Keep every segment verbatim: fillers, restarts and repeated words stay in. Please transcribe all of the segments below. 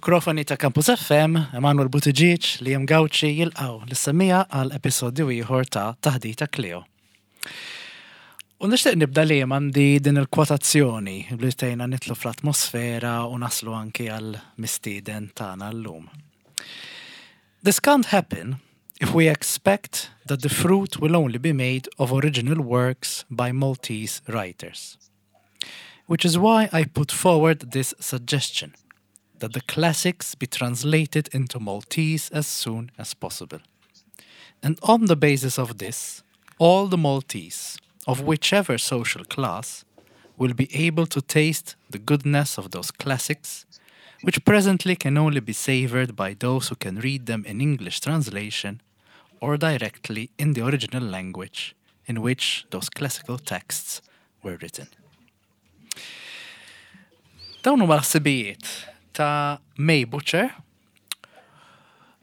Mill-mikrofoni ta' Campus F M, Emanuel Buttigieg, Liam Gauci jilqgħu lis-semmiegħa għal episodju ieħor ta' Taħdita Kleo. U nixtieq nibda li għandi din il-kwotazzjoni li tgħinna nidħlu fl-atmosfera u naslu anki għal mistieden tagħna llum. "This can't happen if we expect that the fruit will only be made of original works by Maltese writers. Which is why I put forward this suggestion that the classics be translated into Maltese as soon as possible. And on the basis of this, all the Maltese, of whichever social class, will be able to taste the goodness of those classics, which presently can only be savored by those who can read them in English translation or directly in the original language in which those classical texts were written." Dawn huma l-ħsibijiet ta' May Butcher,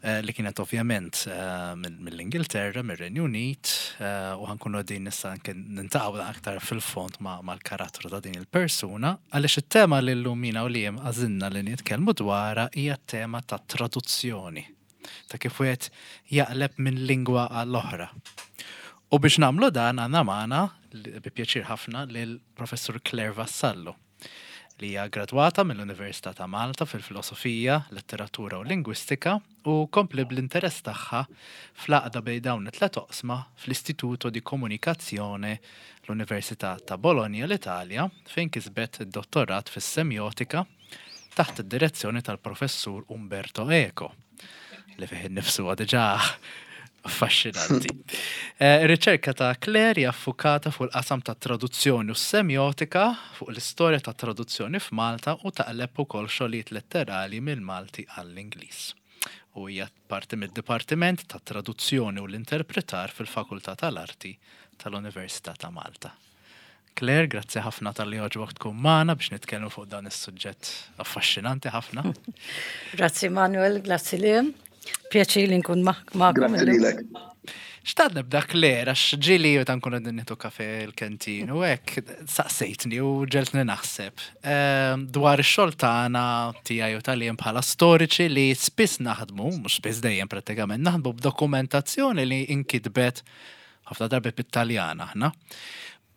eh, li kienet ovvjament eh, mill-Ingilterra, mill-Renju Unit, eh, u ħa nkunu din nista' niltaqgħu aktar fil-fond mal-karattru ta' din il-persuna, għaliex it-tema li llum jiena u Liam għażilna li nitkellmu dwarha hija tema ta' traduzzjoni, ta' kif wieħed jaqleb minn lingwa għall-oħra. U biex nagħmlu dan, għandna magħna, bi pjaċir ħafna, lill-Professur Claire Vassallo, li hija gradwata mill-Università ta' Malta fil-Filosofija, Letteratura u Lingwistika u kompliet bl-interess tagħha fl-għaqda bejn dawn it-tlet oqsma fl-Istituto di Comunicazione, l-Università ta' Bologna, l-Italja, fejn kisbet id-dottorat fis-semiotika taħt id-direzzjoni tal-Professur Umberto Eco, li fih innifsu diġà affaxxinanti. Eh, Ir-riċerka ta' Claire hija ffukata fuq il-qasam ta' traduzzjoni u semiotika, fuq l-istorja ta' traduzzjoni f'Malta u taqleb ukoll xogħlijiet letterali mill-Malti għall-Ingliż. U hija parti mid-Dipartiment ta' Traduzzjoni u l-Interpretar fil-Fakultà tal-Arti tal-Università ta' Malta. Claire, grazzi ħafna talli għoġbok tkun magħna biex nitkellmu fuq dan is-suġġett affaxxinanti ħafna. Grazzi Manuel, grazzi Liam. Pjaċir li nkun magħkom. Grazzi lilek. Xtaqt nibda, Claire, għax ġieli u nkunu qegħdin nieħdu kafè l-kantin u hekk saqsejtni u ġegħeltni naħseb ehm, dwar ix-xogħol tagħna, tiegħi u tal bħala storiċi, li spiss naħdmu, mhux spiss, dejjem prattikament, naħdmu b'dokumentazzjoni li inkitbet ħafna darbi bit-Taljan aħna.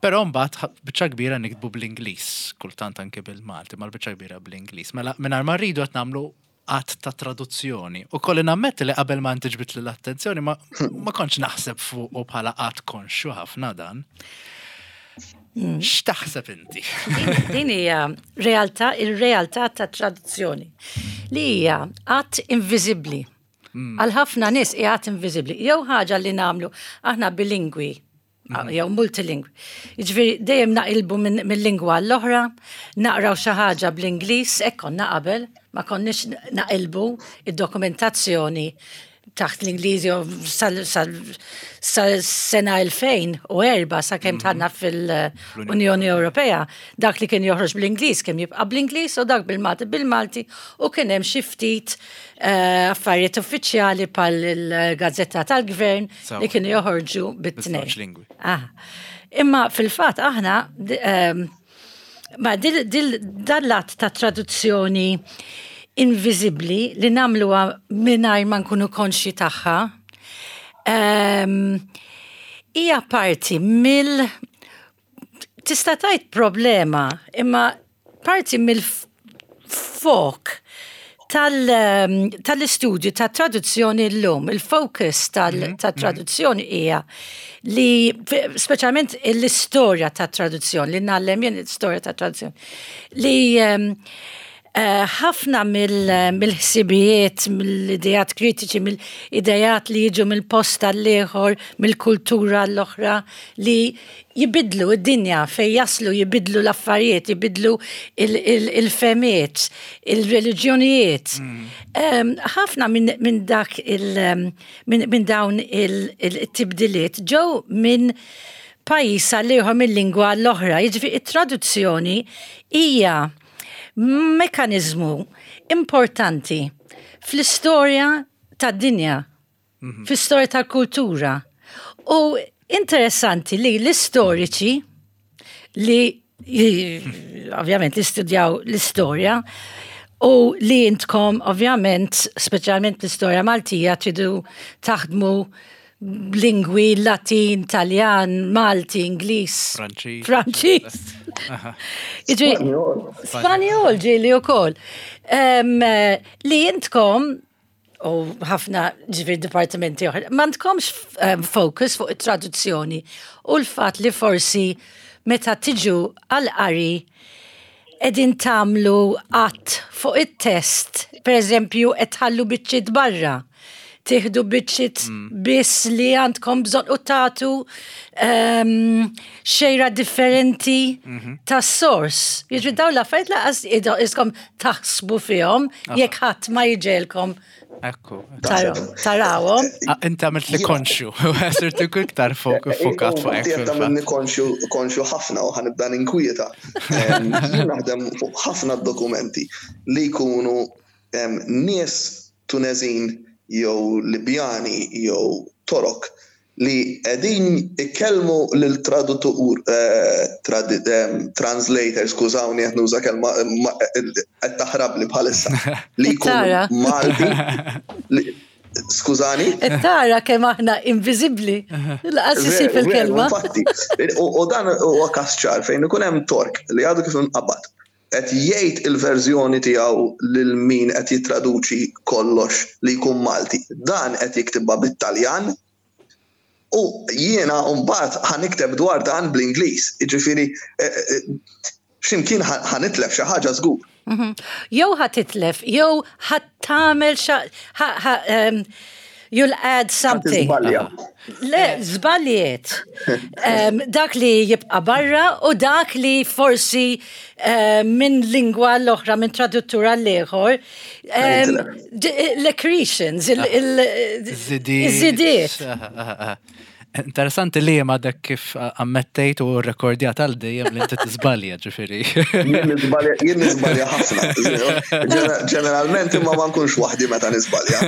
Però mbagħad biċċa kbira niktbu bl-Ingliż, kultant anke bil-Malti, ma l-biċċa kbira bl-Ingliż. Mela mingħajr ma rridu qed nagħmlu att ta' traduzzjoni. U kelli nammetti li qabel ma inti ġbidtli l-attenzjoni ma, ma kontx naħseb fuq u bħala att konxju ħafna dan. Mm. X'taħseb inti? Din hija realtà, il-realtà ta' traduzzjoni li hija att inviżibbli. Mm. Għal ħafna nies hija att inviżibbli. Jew ħaġa li nagħmlu aħna bilingwi mhm. jew multilingwi. Jiġifieri dejjem naqilbu mill-lingwa l-oħra, naqraw xi ħaġa bl-Ingliż, hekk konna qabel, ma konniex naqilbu id-dokumentazzjoni taħt l-Ingliżi sal-sena elfejn u erbgħa, sa kemm dħalna fil-Unjoni Ewropea, dak li kien joħroġ bl-Ingliż kien jibqa' bl-Ingliż u dak bil-Malti bil-Malti u kien hemm xi ftit eh, affarijiet uffiċjali bħal il-Gazzetta tal-Gvern li kienu joħorġu bit-tnejn. Imma fil-fatt aħna ehm, ma dil dal-att ta' traduzzjoni inviżibbli li nagħmluha mingħajr ma nkunu konxji tagħha ehm, hija parti mill, tista' tgħid, problema, imma parti mill-fok ehm, tal-istudju ta' traduzzjoni l-lum, il-focus mhm, tal-traduzzjoni hija li, speċjalment l-istorja ta' traduzzjoni, li ngħallem jien, l-istorja ta' traduzzjoni, li um, ħafna mill-ħsibijiet, mill-idejat kritiċi, mill-idejat li jiġu mill-post għall-ieħor, mill-kultura l-oħra, li jibidlu id-dinja fej jaslu, jibidlu l-affarijiet, jibidlu il-fehmiet, il-reliġjonijiet. Mm. Ħafna minn dak il- minn dawn il-tibdiliet ġew minn pajjiż għall-ieħor, mill-lingwa l-oħra. Jiġifieri it-traduzzjoni hija mekanizmu importanti fl-istorja tad-dinja, mm -hmm. fl-istorja tal-kultura. U interessanti li l-istoriċi li ovvjament li studjaw l-istorja U li intkom, ovvjament, speċjalment l-istorja Maltija, tridu taħdmu lingwi Latin, Taljan, Malti, Ingliż, Franċiż. Franċiż. Jiġri- Spanjol. Spanjol ġieli u koll. Li intkom, u ħafna ġifieri dipartimenti oħra, ma għandkomx em, focus fuq it-traduzzjoni u l-fat li forsi meta tiġu għal-qari qegħdin tagħmlu għat fuq it-test, per eżempju, qed tħallu biċċiet barra. Tieħdu biċċiet biss li għandkom bżonn u tagħtu um, xejra differenti tas sors. Jiġri dawn l-affarijiet lanqas iskom taħsbu fihom jekk ħadd ma jġegħelkom Ekku. taraw- tarawhom. Ah, inti għamilt li konxju, sirtu iktar fokat fuq hekk Inti qed fil-fatt. tagħmilni konxju konxju ħafna u ħa nibda ninkwieta. Em, Jien naħdem fuq ħafna dokumenti li jkunu em, nies Tunezin jew Libjani jew Torok li qegħdin ikellmu lil traduttur eh, tradi- em, translator, skużawni qed nuża kelma ma- qed taħrab li bħalissa li jkunu Tara. Malti li- Skużani? Qed tara kemm aħna inviżibbli. Lanqas isib Veru, veru, il-kelma. Infatti, u u dan huwa każ ċar fejn ikun hemm Tork li għadu kif inqabad. Qed jgħid il-verżjoni tiegħu lil min qed jittraduċi kollox li jkun Malti. Dan qed jiktibha bit-Taljan u jiena mbagħad ħa nikteb dwar dan bl-Ingliż. Jiġifieri eh, eh, x'imkien ħa ħa nitlef xi ħaġa żgur. Mhm. Jew ħa titlef, jew ħa tagħmel xa, ħa- ħa- um, you'll add something. Tiżbalja. Le, żbaljiet. Um, dak li jibqa barra u dak li forsi um, minn lingwa l-oħra, minn traduttura l-ieħor, um, d- l-accretions, il- il- Żidiet. iż-żidiet. Aha, aha, aha. Interessanti li ma dak kif ammettejt u rekordjat għal dejjem li inti tiżbalja ġifieri. Jien niżbalja jien niżbalja ħafna. Ġener- Ġeneralment imma ma nkunx waħdi meta niżbalja.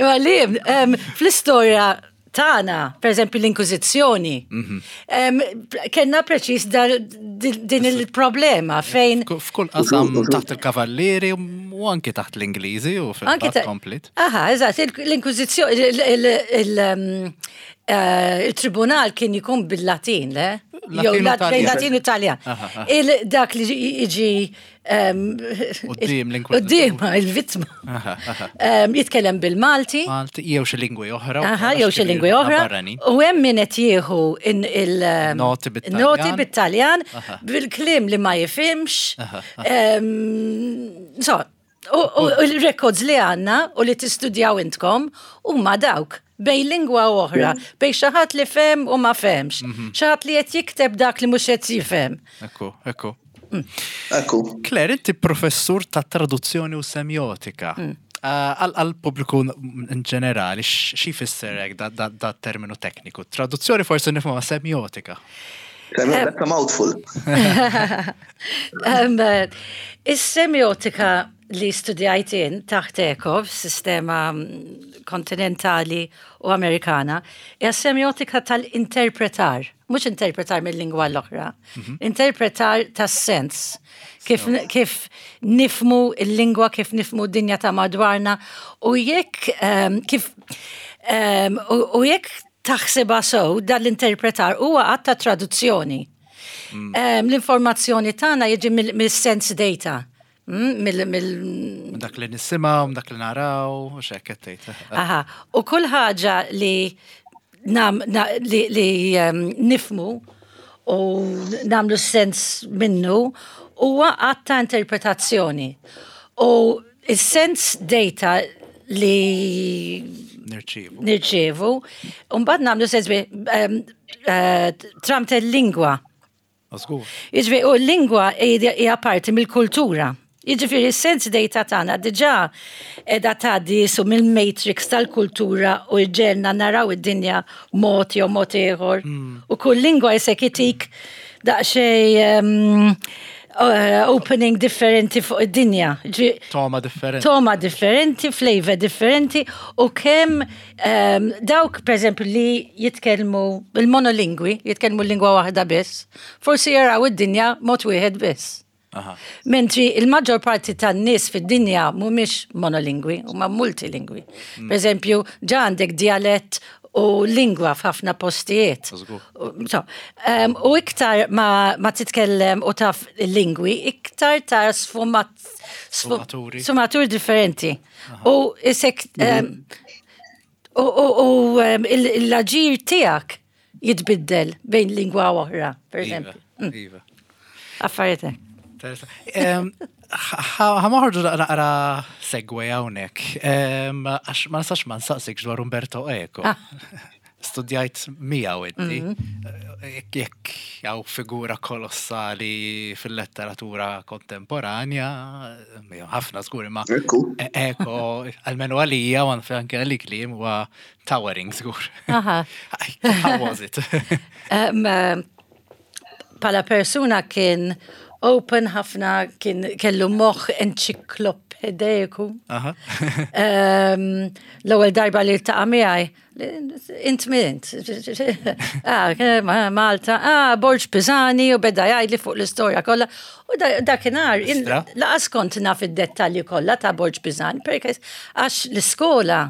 Imma li, um, fl-istorja tagħna, per eżempju l-Inkwiżizzjoni, um, kellna preċis dar- din din il-problema fejn F'kull qasam taħt il-kavallieri u anki taħt l-Ingliżi u Anki fil-fatt ta' komplet. Aha, eżatt, il- l-Inkwiżizzjoni, il- il- il- um, eh, il-tribunal kien jkun bil-Latin, le? Latin Jew u lat- Taljan. Latin u Taljan. Aha, aha. Il- Dak li jiġi um, Quddiem l-Inkwiżitur. Quddiem, il-vittma. Aha, aha. Um, Jitkellem bil-Malti. Malti, jew xi lingwi oħra. Aha, jew xi lingwi oħra. Barranin. U hemm min qed jieħu in il um, Noti bit-Taljan. Noti bit-Taljan Aha. bil-kliem li ma jifhimx. Aha, Um, So, u u l-records li għandna u li tistudjaw intkom huma dawk bejn lingwa u oħra, bejn xi ħadd li fehem u ma fehemx, Mhm. xi ħadd li qed jikteb dak li mhux qed jifhem. Ekku, ekku. Ekku. Claire, inti professur ta' traduzzjoni u semiotika. Ah, Għal għal pubbliku in ġenerali, xi jfisser hekk da, da, da terminu tekniku? Traduzzjoni forsi nifhmu ma' semiotika. That's a mouthful. Um, eh, Is-semiotika li studjajt jien taħt Eco, sistema mm, kontinentali u Amerikana, hija semiotika tal-interpretar, mhux interpretar mill-lingwa l-oħra, interpretar tas-sens. Kif, kif nifhmu il-lingwa, kif nifhmu d-dinja ta' madwarna, u jekk um, kif um, u, u jekk taħsibha sew dan l-interpretar huwa att ta' traduzzjoni. Um, L-informazzjoni tagħna jiġi mill- mill-sense data. Mm, mill, mill, Minn dak li nisimgħu, minn dak li naraw, u x'hekk qed tgħid. aha. U kull ħaġa li, nam, na, li, li um, nifhmu u nagħmlu sens minnu huwa att ta' interpretazzjoni. U il-sense data li Nirċievu. nirċievu, u mbagħad nagħmlu sens bi um, uh, tramite l-lingwa. Żgur. Jiġifieri, u l-lingwa hija hija parti mill-kultura. Jiġifieri, s-sense data tagħna diġà qiegħda tgħaddi su mill-matrix tal-kultura u ġġegħelna naraw id-dinja mod jew mod ieħor. U kull lingwa jisek itik daqsxejn um, uh, opening differenti fuq id-dinja. Ġifieri, Togħma differenti. Togħma differenti, flavor differenti u kemm um, dawk per eżempju li jitkellmu il-monolingwi, jitkellmu lingwa waħda biss, forsi jaraw id-dinja mod wieħed biss. Aha. Mentri il-maġġor parti tan-nies fid-dinja mhumiex monolingwi, huma multilingwi. Per eżempju, ġa għandek dialett u lingwa f'ħafna postijiet. Żgur. U so, um, u iktar ma, ma titkellem u taf il-lingwi, iktar ta' sfumat, sfu- Sfumaturi. sfumaturi differenti. U isek, um, u, u, u um, il- l-aġir tiegħek jitbiddel bejn lingwa u oħra, per Iva, eżempju. Iva. Affarijiet. Em, Ħa noħorġu naqra segue hawnhekk. Em, Għax ma nistax ma nsaqsik dwar Umberto Eco. Ah. Studjajt miegħu inti. Jekk jekk hawn figura kolossali fil-letteratura kontemporanja, miegħu ħafna żgur imma Ekku. E- Eco, almenu għalija, u anke għalik li huwa towering żgur. Aha. How was it? Um, um, Bħala persuna kien open ħafna, kien kellu moħ enċiklopediku. Aha. Um, L-ewwel darba li ltaqa' miegħi, int min int? Ah, ma- Malta, ah, Borg Pisani u beda jgħidli fuq l-istorja kollha. U da- dakinhar, in- Istra? lanqas kont naf id-dettalji kollha ta' Borg Pisani, perché għax l-iskola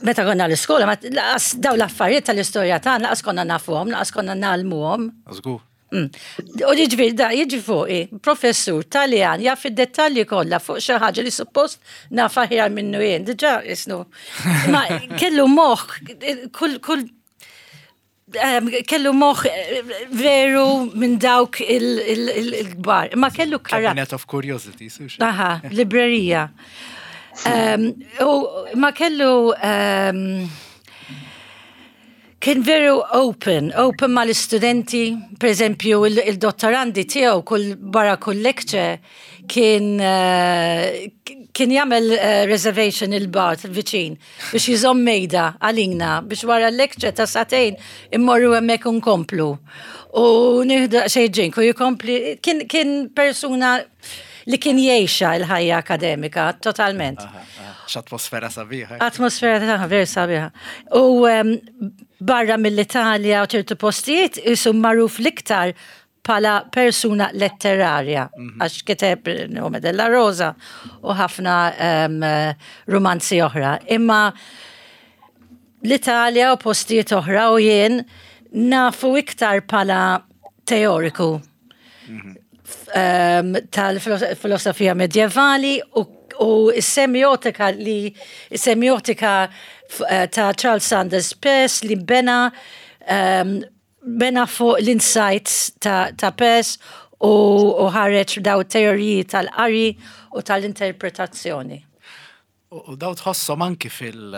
meta konna l-iskola, ma lanqas daw l-affarijiet tal-istorja tagħna, lanqas konna nafuhom, lanqas konna ngħallmuhom. Żgur. Mm. U jiġifieri da jiġi fuqi, professur Taljan jaf id-dettalji kollha fuq xi ħaġa li suppost naf aħjar minnu jien, diġà isnu. Ma kellu moħħ, kull kull em, kellu moħħ eh, veru minn dawk il-kbar. Ma kellu karakter. Cabinet of Curiosity, sux. Aha, librerija. Um, u ma kellu um, kien veru open, open ma l-istudenti, per eżempju il-dottorandi tiegħu kull barra kull lecture kien uh, kien jagħmel uh, reservation il-bar viċin biex jżomm mejda għalina biex wara l-lecture ta' sagħtejn immorru hemmhekk nkomplu. U nieħdu xi drink u jikompli kien, kien persuna li kien jgħixha l-ħajja akademika totalment. Aha, aha. X'atmosfera sabiħa. Atmosfera ta' ver sabiħa. U um, barra mill-Italja u ċertu postijiet isu magħruf l-iktar bħala persuna letterarja, għax kiteb Nome della Rosa u ħafna um, romanzi oħra. Imma l-Italja u postijiet oħra u jien nafu iktar bħala teoriku um, tal-filosofija medjevali u, u s-semiotika li semiotika eh, ta' Charles Sanders Peirce li bena um, bena fuq l-insights ta', ta Peirce u, u ħareġ daw teoriji tal-qari u tal-interpretazzjoni. U u daw tħossom anki fil-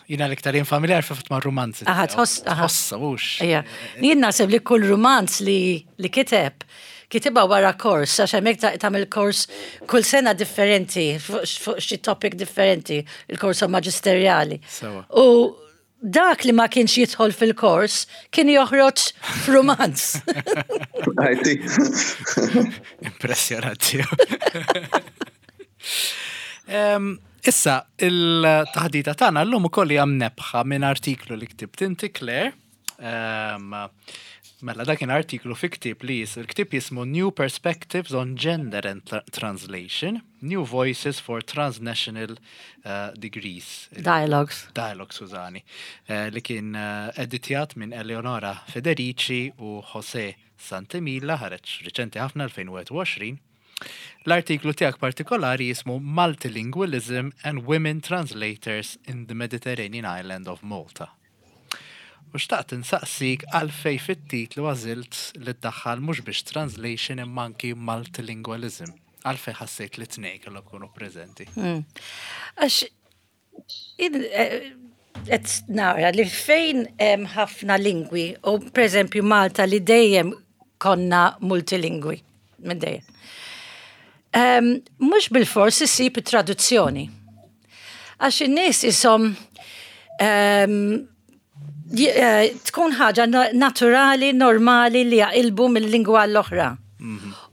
Jiena l-iktar jien familjar fil ma' romanzi. Aha, tiegħu. tħoss- aha. Tħossa, mhux. Ija, jien naħseb li kull romanz li, li kiteb, kitibha wara kors, għax hemmhekk ta- tagħmel kors kull sena differenti, fuq fuq xi topic differenti, il-kors maġisterjali. Sewa. U dak li ma kienx jidħol fil-kors kien joħroġ f'romanz. Għajti. Impressjonanti. Em, Issa, il-taħdita tagħna llum ukoll hija mnebbħa minn artiklu li ktibt inti Claire. Em, Mela dak kien artiklu fi ktieb li jis, il-ktieb jismu New Perspectives on Gender and Tra- Translation, New Voices for Transnational uh, Degrees. Dialogues. Dialogue, skużani, eh, li kien eh, editjat minn Eleonora Federici u José Santemila, ħareġ riċenti ħafna elfejn u wieħed u għoxrin. L-artiklu tiegħek partikolari jismu Multilingualism and Women Translators in the Mediterranean Island of Malta. U xtaqt insaqsik għalfej fit-titlu għażilt li ddaħħal mhux biex translation imma anki multilingualism. Għalfej ħassejt li tnejn kellhom ikunu preżenti. Għax, in- eh, qed nara li fejn hemm ħafna lingwi, u per eżempju Malta li dejjem konna multilingwi, minn dejjem. Um, mhux bil-fors issib traduzzjoni. Għax in-nies isom um, tkun ħaġa naturali, normali li jaqilbu mill-lingwa l-oħra.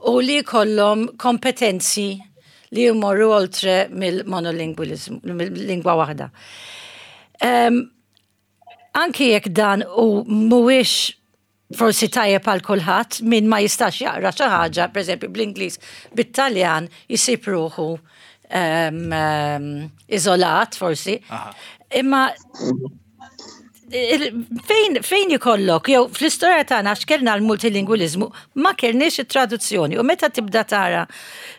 U li kollhom kompetenzi li jmorru oltre mill-monolingualism, mill-lingwa waħda. Um, anki jekk dan u mhuwiex Forsi tajjeb għal kulħadd, min ma jistax jaqra xi ħaġa, pereżempju bl-Ingliż, bit-Taljan, jisib ruħu um, um, iżolat forsi. Aha. Imma il- fejn fejn jkollok, jew fl-istorja tagħna għax kellna l-multilingualizmu, ma kellniex it-traduzzjoni. U meta tibda tara,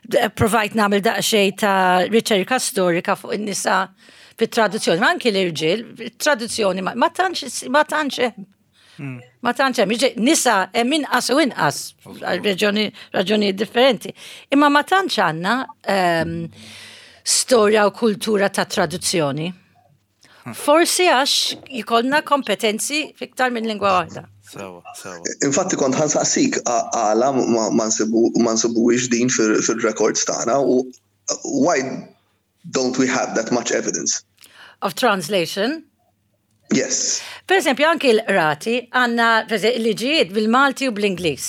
d- provajt nagħmel daqsxejn ta' riċerka storika fuq in-nisa fit-traduzzjoni, ma anki l-irġiel, traduzzjoni ma ma tantx ma tantx hemm. Ma tantx hemm, jiġi- nisa hemm inqas u inqas għal raġuni raġunijiet differenti. Imma ma tantx għandna ehm, storja u kultura ta' traduzzjoni. Forsi għax jkollna kompetenzi fiktar minn lingwa waħda. Sewa, sewa. Infatti kont ħa nsaqsik a- għala ma ma nsibu ma nsibuhiex din fil- fil-records tagħna u why don't we have that much evidence? Of translation. Yes. Per esempio, anki l-qrati għandna per esempio, il-liġijiet bil-Malti u bl-Ingliż.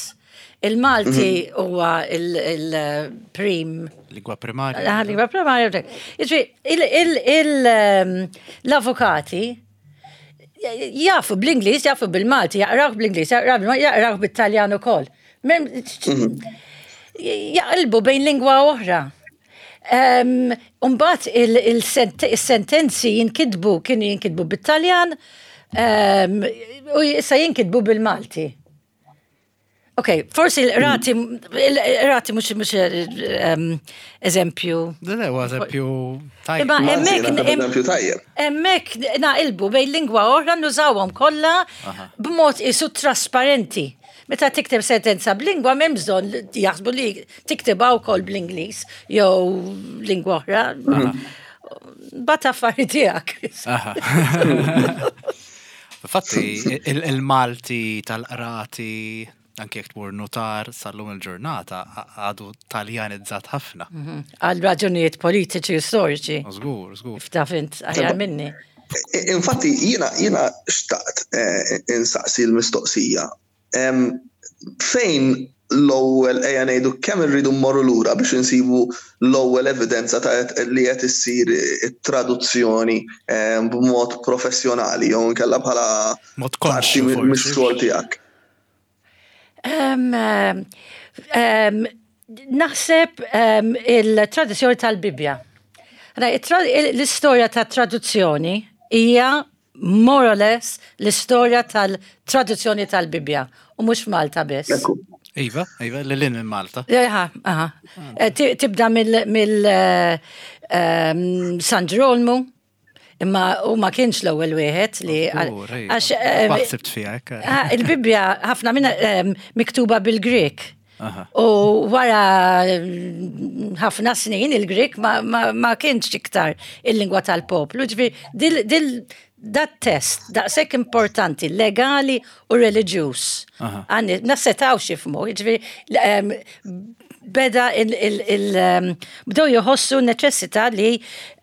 Il-Malti huwa il-prim Lingwa primarja. Ah, lingwa primarja. Jiġifieri, il- il- il- ehm, l-avukati jafu bl-Ingliż, jafu bil-Malti, jaqrawh bl-Ingliż, jaqrawh bil-Malti, jaqrawh bit-Taljan ukoll. Mem- Jaqilbu bejn lingwa oħra. Um, Umbagħad il-sentenzi jinkitbu, kienu jinkitbu bit-Taljan, um, u issa jinkitbu bil-Malti. Ok, forsi l-qrati, l-qrati mhux mhux um, eżempju. Le, le, huwa eżempju tajjeb. Imma Anzi, hemmhekk naħseb eżempju tajjeb. hemmhekk naqilbu bejn lingwa oħra, nużawhom kollha b'mod isu trasparenti. Meta tikteb sentenza b'lingwa, m'hemm bżonn li jaħsbu li tiktibha wkoll bl-Ingliż jew lingwa oħra. Bat affari tiegħek. Aha. Infatti, il- il-Malti tal-qrati, anke jekk tmur notar sal-lum il-ġurnata, għadu taljanizzat ħafna. Għal raġunijiet politiċi u storiċi. Żgur, żgur. Taf int aħjar minni. Infatti, jiena jiena xtaqt eh, insaqsi l-mistoqsija. Em, Fejn l-ewwel, ejja ngħidu, kemm irridu mmorru lura biex insibu l-ewwel evidenza ta' li qed issir it-traduzzjoni em, b'mod professjonali jew inkella bħala Mod parti konxju forsi. mix-xogħol tiegħek? Um, um, um, naħseb um, il-traduzzjoni tal-Bibja. Ra, it-tra- L-istorja ta' traduzzjoni hija more or less l-istorja tal-traduzzjoni tal-Bibja u mhux Malta biss. Ekku. Iva, iva, lil hinn minn Malta. Aha, aha. Eh, ti- Tibda mill mill, eh, ehm, San Ġerolmu, imma u ma kienx l-ewwel wieħed li Żgur, iva. għax eh, Maħsibt fiha, hekk. Ah, il-Bibja ħafna minna ehm, miktuba bil-Grek. Aha. U wara mm, ħafna snin il-Grek ma, ma, ma kienx iktar il-lingwa tal-poplu. Ġifieri, dil, dil, dat test daqshekk importanti, legali u reliġjuż. Aha. Għanni, ma setgħux jifhmu, ġifieri, ehm, beda il, il, il, ehm, bdew jħossu neċessità li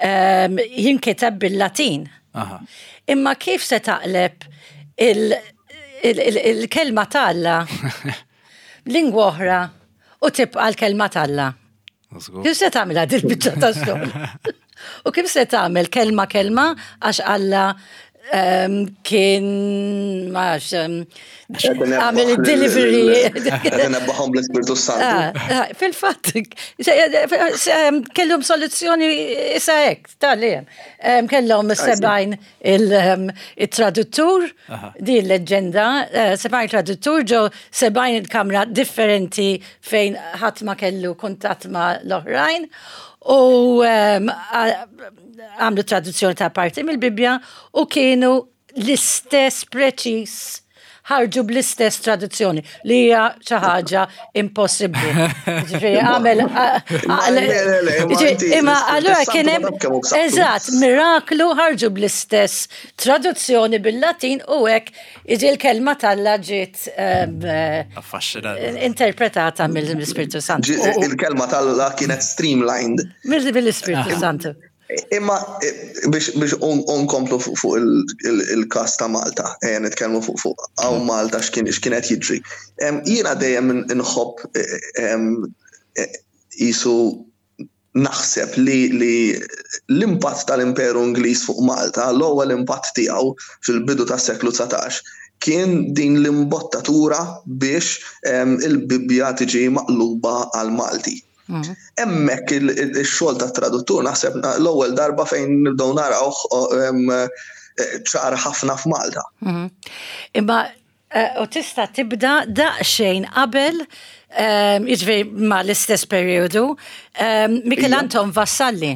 um, jinkiteb bil-Latin. Aha. Imma kif se taqleb il- il- il- il-kelma t'Alla lingwa oħra u tibqa l-kelma t'Alla? Żgur. Kif se tagħmilha dil-biċċa ta' xogħol? U kif se tagħmel kelma kelma, għax Alla ehm, kien ma nafx, ehm, għamel il-delivery. Qed inebbaħhom bl-Ispirtu Santu. Ah, ah, Fil-fatt, se- se- kellhom soluzzjoni issa hekk, tal Kellhom sebgħin il-traduttur, di l-leġenda, eh, sebgħin traduttur ġo sebgħin il-kamra differenti fejn ħadd ma kellu kuntatt ma l-oħrajn u em, a- għamlu traduzzjoni ta' parti mill-Bibja u kienu l-istess preċis, ħarġu bl-istess traduzzjoni li hija xi ħaġa impossibbli. Ġifieri għamel Ma le, le, le, imma inti imma l-Ispirtu allura Santu kien ma hemm taf kemm hu b'saħħtu. eżatt miraklu, ħarġu bl-istess traduzzjoni bil-Latin u hekk iġi l-kelma t'Alla ġiet em, eh, Affaxxinanti. interpretata mill-Ispirtu Santu. Ġi- Il-kelma t'Alla kienet streamlined. Mill-Ispirtu Santu. Imma eh, biex biex un- unkomplu fuq fuq il- il- il-kas ta' Malta, ejja nitkellmu fuq fuq hawn Malta x'kien x'kienet jiġri. Em, Jiena dejjem inħobb eh, em, eh, isu naħseb li li l-impatt tal-Imperu Ingliż fuq Malta, l-ewwel impatt tiegħu fil-bidu tas-seklu dsatax kien din l-imbottatura biex il-Bibbja tiġi maqluba għal Malti. Mhm. Hemmhekk il-xogħol ta' traduttur naħseb l-ewwel darba fejn nibdew naraw ċar ħafna f'Malta. Mhm. Imma eh, u tista' tibda daqsxejn qabel, jiġifieri ma l-istess periodu, Michel Anton Vassalli.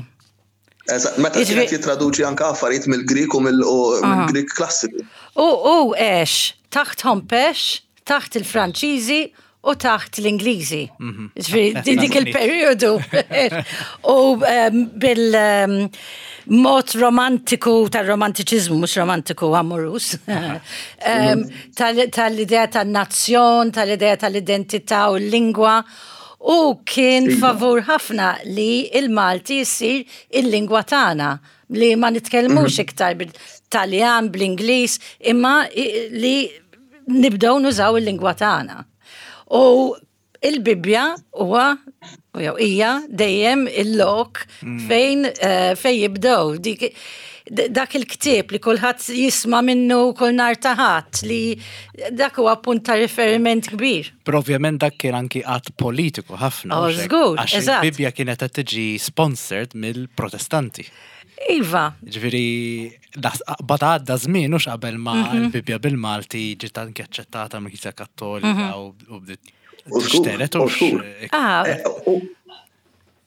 Meta kienet jitraduċi anka affarijiet mill-Grik u mill-Grik klassiku. U u għex taħt Hompesch, taħt il-Franċiżi u taħt l-Ingliżi. Mhm. Ġifieri dik il-periodu. U bil-mod romantiku tal-romantiċizmu, mhux romantiku amorus, tal-idea tal-nazzjon, tal-idea tal-identità u l-lingwa. U kien iva. favur ħafna li il-Malti jisir il-lingwa tagħna, li ma nitkellmux mhm. iktar bil-Taljan, bl-Ingliż, imma li nibdew nużaw il-lingwa tagħna. U il-Bibbja huwa jew hija dejjem il-lok mm. fejn eh, fejn jibdew dik dak il-ktieb li kulħadd jisma' minnu kull nhar ta' Ħadd, li dak huwa punt ta' riferiment kbir. Però ovvjament dak kien anki att politiku ħafna. Oh, żgur, għax il-Bibbja kienet qed tiġi sponsored mill-Protestanti. Iva. Ġifieri, bada għadda żmien hux qabel ma mhm. l-Bibbja bil-Malti ġiet anke aċċettata mill-Knisja Kattolika mhm. u bdiet tixteret u. Ah. Eh,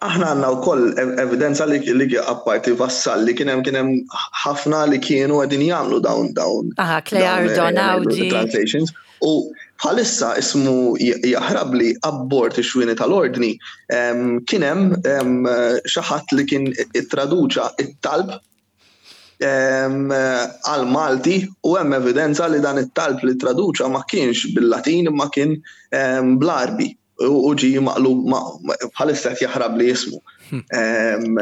aħna għandna wkoll evidenza li li apparti Vassalli kien hemm kien hemm ħafna li kienu qegħdin jagħmlu dawn dawn. Aha, Cleardo, dawn, eh, Naudi. Translations. U bħalissa ismu jaħrab li abbord ix-xwieni tal-ordni kien hemm xi ħadd li kien ittraduċa it-talb għal Malti u hemm evidenza li dan it-talb li traduċa ma kienx bil-Latin, imma kien bl-Arbi u ġi maqlub, bħalissa qed jaħrab li jismu. Hmm.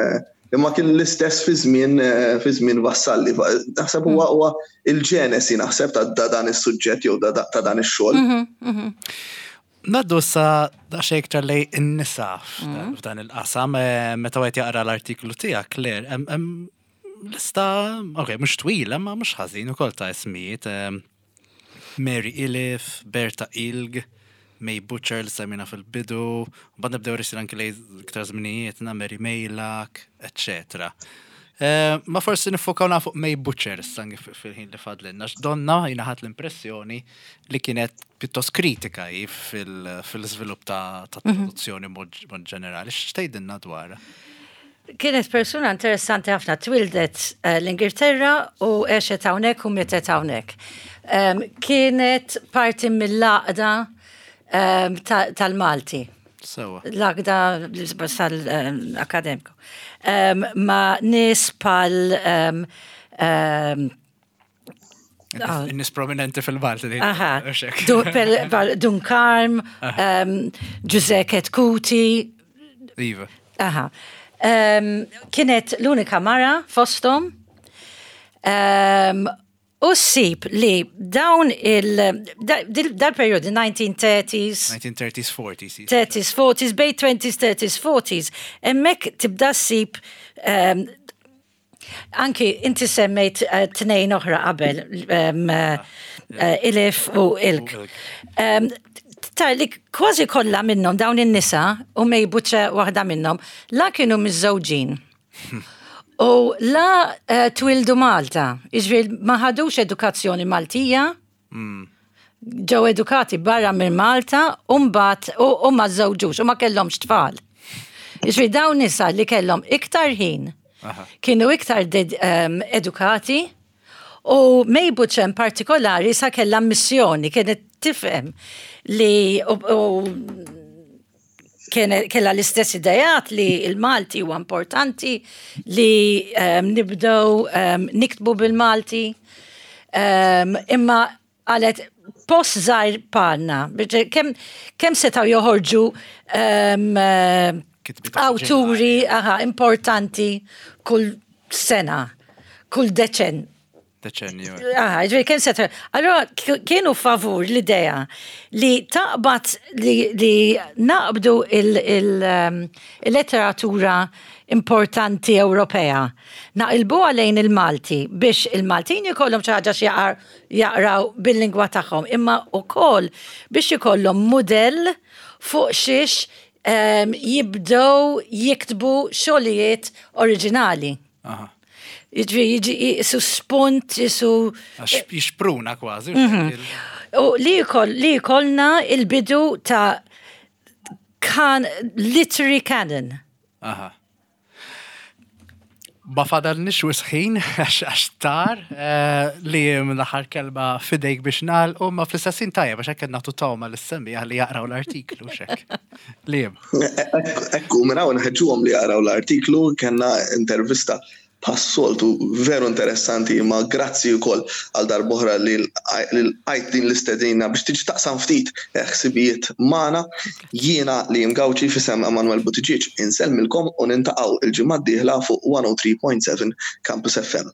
Imma kien l-istess fi żmien fi żmien Vassalli. Naħseb huwa huwa il-ġenesi naħseb ta' dan is-suġġett jew ta' dan ix-xogħol. Mhm, mhm. Ngħaddu sa daqsxejn iktar lejn in-nisa mhm. f'dan il-qasam, eh, meta wieħed jaqra l-artiklu tiegħek, Claire, hemm lista, ok, mhux twila, ma mhux ħażin ukoll ta' ismijiet. Mary Iliffe, Berta Ilg, May Butcher li semmina fil-bidu, bad nibdew risir anki lejn iktar żminijietna, Mary Meilak, eccetera. Eh, ma forsi nifokaw fuq May Butcher issa fil-ħin li fadlinna, donna jiena ħadt l-impressjoni li kienet pjuttost kritika hi fil-żvilupp ta' mhm. traduzzjoni mod ġenerali. X'tgħidilna dwarha? Kienet persuna interessanti ħafna, twildet eh, l-Ingilterra u għexet hawnhekk u mietet hawnhekk. Kienet parti mill-għaqda tal-Malti. L-għaqda tal-akademiku. Ma nies bħal Nies prominenti fil-Malti. Aha. Dun Karm, Ġużè Chetcuti. Iva. Aha. Kienet l-unika mara fostom. U ssib li dawn il dal-periodi nineteen thirties, nineteen thirties, forties. thirties, forties, bejn twenties, thirties, forties, hemmhekk tibda ssib um, anki inti semmejt uh, tnejn oħra qabel, um, uh, Iliffe u Ilg. Um, ta' li kważi kollha minnhom dawn in-nisa, u May Butcher waħda minnhom, la kienu miżżewġin. U la uh, twildu Malta, jiġifieri ma ħadux edukazzjoni Maltija, ġew edukati barra minn Malta u mbagħad u, u ma żewġux u ma kellhomx tfal. Jiġifieri dawn nisa li kellhom iktar ħin, Aha. kienu iktar ded, um, edukati u May Butcher in partikolari sa kellha missjoni, kienet tifhem li u, u kien- kella l-istess idejat li il-Malti huwa importanti li um, nibdew um, niktbu bil-Malti. Um, imma għalet post żgħir bħalna, biex kemm kem setgħu joħorġu um, eh, Kitbiet awturi, aha, importanti kull sena, kull deċen. Deċennju. Ah, ġifieri kemm se. Allora kienu favur l-idea li taqbad li, li naqbdu um, il-letteratura importanti Ewropea. Naqilbuha lejn il-Malti biex il-Maltin jkollhom xi ħaġa jaqraw bil-lingwa tagħhom, imma wkoll biex ikollhom mudell fuq xiex um, jibdew jiktbu xogħlijiet oriġinali. Aha. Jiġifieri jiġi jisu spunt, jisu. Għax jixpruna kważi. U li jkoll, li jkollna il-bidu ta' kan, literary canon. Aha. Ma fadalniex wisq ħin, għax għax tar, eh, li l-aħħar kelma f'idejk biex nagħlqu, ma fl-istess ħin tajjeb għax hekk nagħtu togħma lis-semmiegħa li jaqraw l-artiklu xek. Liam. Ekku, minn hawn nħeġġuhom li jaqraw l-artiklu, kellna intervista bħas-soltu veru interessanti, imma grazzi wkoll għal darb'oħra li lqajt din l-istedina biex tiġi taqsam ftit ħsibijiet magħna. Jiena Liam Gauci f'isem Emanuel Buttigieg insellmilkom u niltaqgħu il-ġimgħa d-dieħla fuq one oh three point seven Campus F M.